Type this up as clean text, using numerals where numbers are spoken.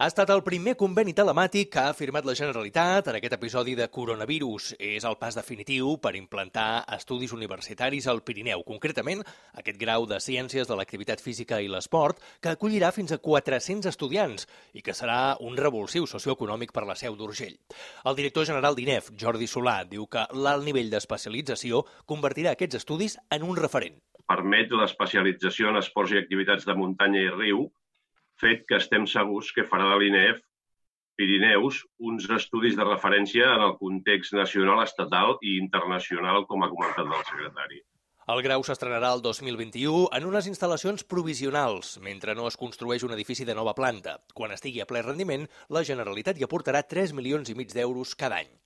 Ha estat el primer conveni telemàtic que ha firmat la Generalitat en aquest episodi de coronavirus. És el pas definitiu per implantar estudis universitaris al Pirineu. Concretament, aquest grau de Ciències de l'Activitat Física i l'Esport, que acollirà fins a 400 estudiants i que serà un revulsiu socioeconòmic per la Seu d'Urgell. El director general d'INEF, Jordi Solà, diu que l'alt nivell d'especialització convertirà aquests estudis en un referent. Permet l'especialització en esports i activitats de muntanya i riu, fet que estem segurs que farà de l'INEF Pirineus uns estudis de referència en el context nacional, estatal i internacional, com ha comentat el secretari. El grau s'estrenarà el 2021 en unes instal·lacions provisionals, mentre no es construeix un edifici de nova planta. Quan estigui a ple rendiment, la Generalitat hi aportarà 3,5 milions d'euros cada any.